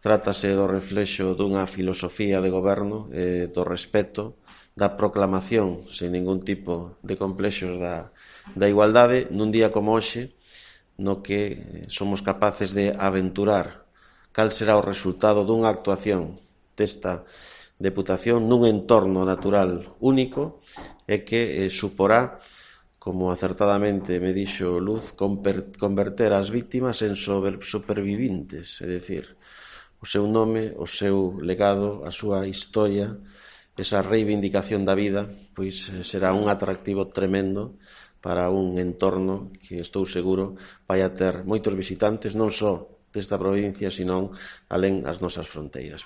Trátase do reflexo dunha filosofía de goberno, do respeto, da proclamación, sen ningún tipo de complexos da igualdade, nun día como hoxe, no que somos capaces de aventurar cal será o resultado dunha actuación desta Deputación nun entorno natural único e que suporá, como acertadamente me dixo Luz, converter as vítimas en supervivintes, é dicir, o seu nome, o seu legado, a súa historia, esa reivindicación da vida, pois será un atractivo tremendo para un entorno que estou seguro vai a ter moitos visitantes, non só desta provincia, senón alén as nosas fronteiras.